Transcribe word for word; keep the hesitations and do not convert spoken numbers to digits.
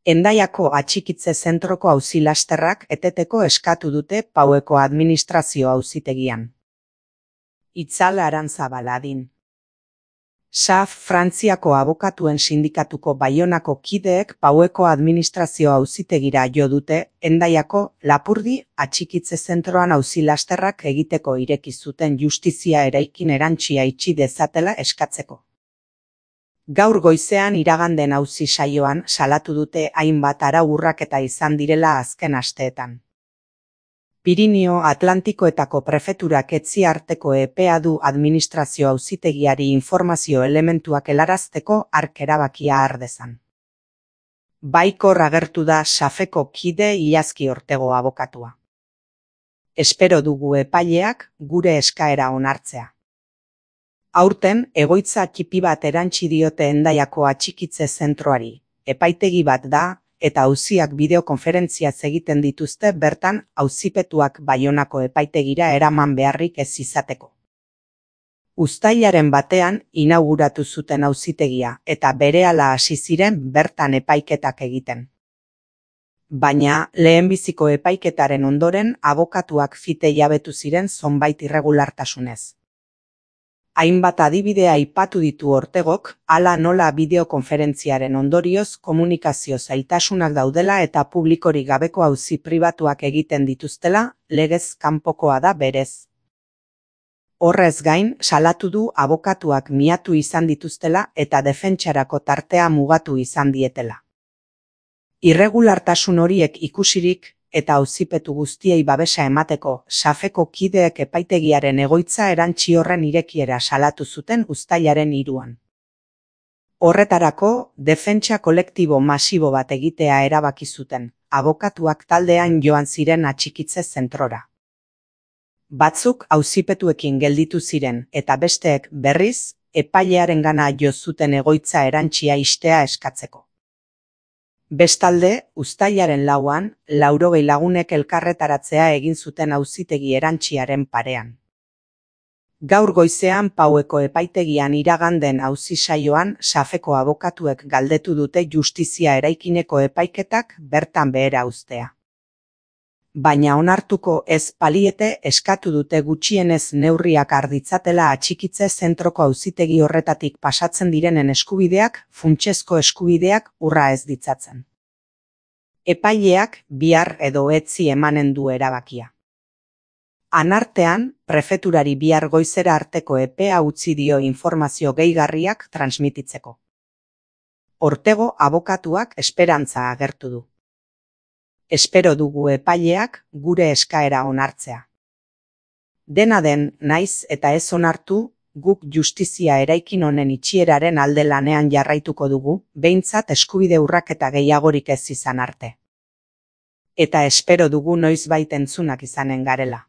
Hendaiako atxikitze zentroko auzi-lasterrak eteteko eskatu dute Paueko administrazio auzitegian. Itzal Arantzabal adin. S A F Frantziako abokatuen sindikatuko Baionako kideek Paueko administrazio auzitegira jo dute Hendaiako Lapurdi atxikitze zentroan auzi-lasterrak egiteko ireki zuten justizia eraikin erantsia itxi dezatela eskatzeko. Gaur goizean iraganden auzi saioan salatu dute hainbat arau urraketa izan direla azken asteetan. Pirinio Atlantikoetako prefeturak etzi arteko epea du administrazio auzitegiari informazio elementuak helarazteko hark erabakia har dezan. Baikor agertu da Safeko kide Iazki Ortego abokatua. Espero dugu epaileak gure eskaera onartzea. Aurten, egoitza txipi bat erantsi diote Hendaiako atxikitze zentroari. Epaitegi bat da, eta auziak bideokonferentziaz egiten dituzte bertan auzipetuak Baionako epaitegira eraman beharrik ez izateko. Uztailaren batean inauguratu zuten auzitegia eta berehala hasi ziren bertan epaiketak egiten. Baina, lehenbiziko epaiketaren ondoren abokatuak fite jabetu ziren zonbait irregulartasunez. Hainbat adibidea aipatu ditu Ortegok, hala nola bideokonferentziaren ondorioz komunikazio zailtasunak daudela eta publikorik gabeko auzi pribatuak egiten dituztela, legez kanpokoa da berez. Horrez gain, salatu du abokatuak miatu izan dituztela eta defentsarako tartea mugatu izan dietela. Irregulartasun horiek ikusirik, eta auzipetu guztiei babesa emateko Safeko kideek epaitegiaren egoitza erantsi horren irekiera salatu zuten uztailaren hiruan. Horretarako, defentsa kolektibo masibo bat egitea erabaki zuten, abokatuak taldean joan ziren atxikitze zentrora. Batzuk auzipetuekin gelditu ziren eta besteek berriz, epailearengana jo zuten egoitza erantsia ixtea eskatzeko. Bestalde, uztailaren lauan, laurogei lagunek elkarretaratzea egin zuten auzitegi erantziaren parean. Gaur goizean Paueko epaitegian iraganden auzi saioan Safeko abokatuek galdetu dute justizia eraikineko epaiketak bertan behera uztea. Baina onartuko ez paliete eskatu dute gutxienez neurriak har ditzatela atxikitze zentroko auzitegi horretatik pasatzen direnen eskubideak, funtsezko eskubideak urra ez ditzatzen. Epaileak bihar edo etzi emanen du erabakia. Anartean, prefeturari bihar goizera arteko epea utzi dio informazio gehigarriak transmititzeko. Ortego abokatuak esperantza agertu du. Espero dugu epaileak gure eskaera onartzea. Dena den, naiz eta ez onartu, guk justizia eraikin honen itxieraren alde lanean jarraituko dugu, behintzat eskubide urraketa gehiagorik ez izan arte. Eta espero dugu noizbait entzunak izanen garela.